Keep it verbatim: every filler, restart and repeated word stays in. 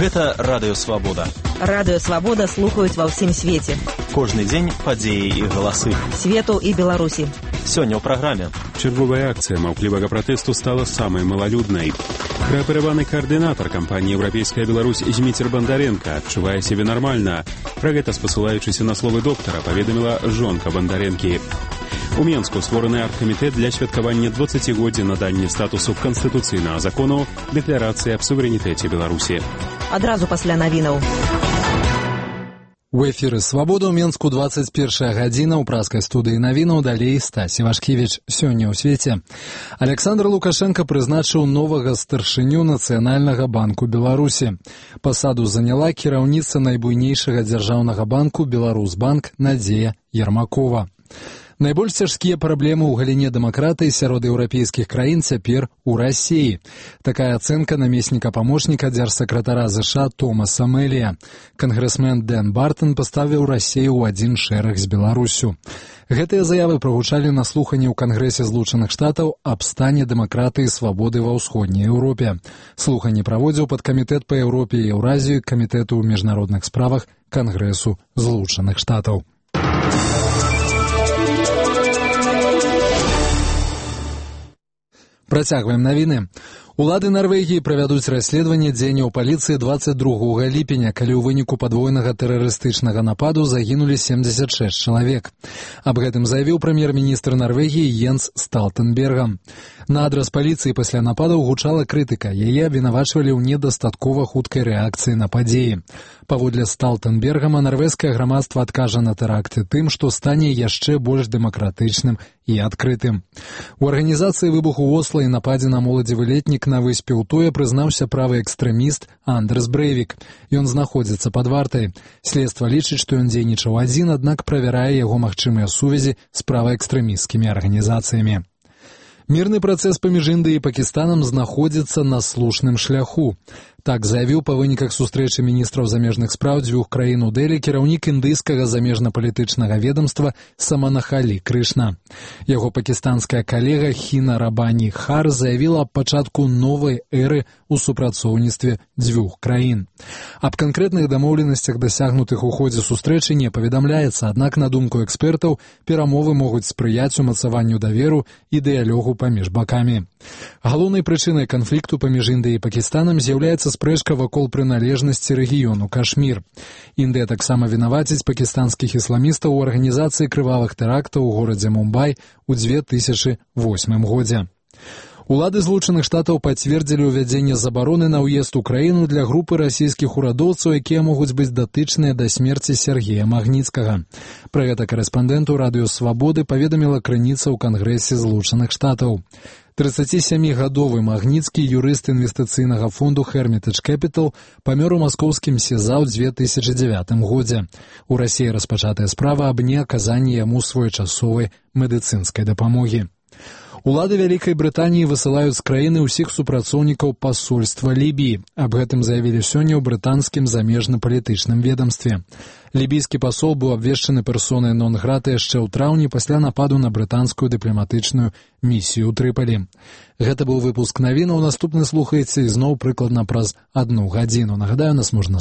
Гэта Радыё Свабода. Радыё Свабода слухаюць ва ўсім свеце. Кожны дзень падзеі і галасы. Свету і Беларусі. Сёння ў праграме. Чарговая акцыя маўклівага пратэсту стала самай малалюднай. Праапераваны каардынатар кампаніі «Еўрапейская Беларусь» Зміцер Бандаренка адчувае сябе нармальна. Пра гэта, спасылаючыся на словы доктара, паведаміла жонка Бандаренкі. У Менску створаны аргкамітэт для святкавання дваццацігоддзя надання статусу канстытуцыйнага закону Дэкларацыі аб суверэнітэце Беларусі. Адразу пасля навінаў. У эфіры «Свабода» ў Менску дваццаць першая гадзіна, ў праскай студыі навінаў, далей Стась Івашкевіч. Сёння ў свеце. Александр Лукашенко прызначыў новага старшыню Нацыянальнага банку Беларусі. Пасаду заняла кіраўніца найбуйнейшага дзяржаўнага банку «Беларусьбанк» Надзея Ермакова. Найбольш цяжкія праблемы ў галіне дэмакратыі сярод еўрапейскіх краін цяпер у Расіі. Такая ацэнка намесніка памочніка дзяржсакратара ЗША Томаса Мэлія. Кангрэсмен Дэн Бартон паставіў Расію ў адзін шэраг з Беларусю. Гэтыя заявы прагучалі на слуханні ў Кангрэсе Злучаных Штатаў аб стане дэмакратыі і свабоды ва ўсходняй Еўропе. Слуханні праводзіў падкамітэт па Еўропе і Еўразію камітэту ў міжнародных справах Кангрэсу Злучаных Штатаў. Працягваем навіны. Улады Нарвегіі правядуць расследаванне дзеянняў паліцыі дваццаць другога ліпеня, калі ў выніку падвойнага тэрарыстычнага нападу загінулі семдзесят шэсць чалавек. Аб гэтым заявіў прэм'ер-міністр Нарвегіі Йенс Сталтэнберга. На адрас паліцыі пасля нападаў гучала крытыка. Яе абвінавачвалі ў недастаткова хуткай рэакцыі на падзеі. Паводле Сталтэнбергама, нарвежскае грамадства адкажа на тэракты тым, што стане яшчэ больш дэмакратычным і адкрытым. У арганізацыі выбуху Осла і нападзе на моладзевы летнік на выспе Утоя прызнаўся правы экстрэміст Андерс Брэйвік. Ён знаходзіцца пад вартай. Следства лічыць, што ён дзейнічаў адзін, аднак правярае яго магчымыя сувязі з праваэкстрэмісцкімі арганізацыямі. Мірны працэс паміж Індыяй і Пакістанам знаходзіцца на слушным шляху. Так заявіў па выніках сустрэчы міністраў замежных спраў дзвюх краін у Дэлі кіраўнік індыйскага замежна-палітычнага ведомства Саманахалі Крышна. Яго пакістанская калега Хіна Рабані Хар заявіла аб пачатку новай эры ў супрацоўніцтве дзвюх краін. Аб канкрэтных дамоўленасцях, дасягнутых у ходзе сустрэчы, не паведамляецца, аднак, на думку экспертаў, перамовы могуць спрыяць умацаванню даверу і дыялогу паміж бакамі. Галоўнай прычынай канфлікту паміж Індыяй і Пакістанам з'яўляецца спрэчка вакол прыналежнасці рэгіёну Кашмір. Індыя таксама вінаваціць пакістанскіх ісламістаў у арганізацыі крывавых тэрактаў у горадзе Мумбай у дзве тысячы восьмым годзе. Улады Злучаных Штатаў пацвердзілі ўвядзенне забароны на ўезд у краіну для групы расійскіх урадоўцаў, якія могуць быць датычныя да смерці Сергея Магніцкага. Пра гэта карэспандэнту Радыё Свабоды паведаміла крыніца ў Кангрэсе Злучаных Штатаў. трыццацісямігадовы Магніцкі, юрыст інвестыцыйнага фонду Hermitage Capital, памёр у маскоўскім СІЗА ў дзве тысячы дзявятым годзе. У Расіі распачатая справа аб неаказанні яму своечасовай медыцынскай дапамогі. Улады Вялікай Брытаніі высылаюць з краіны ўсіх супрацоўнікаў пасольства Лібіі. Аб гэтым заявілі сёння ў брытанскім замежна-палітычным ведамстве. Лібійскі пасол быў абвешчаны персонай нон-грата яшчэ ў траўні пасля нападу на брытанскую дыпламатычную місію ў Трыпалі. Гэта быў выпуск навінаў. Наступны слухаеце ізноў прыкладна праз адну гадзіну. Нагадаю, нас можна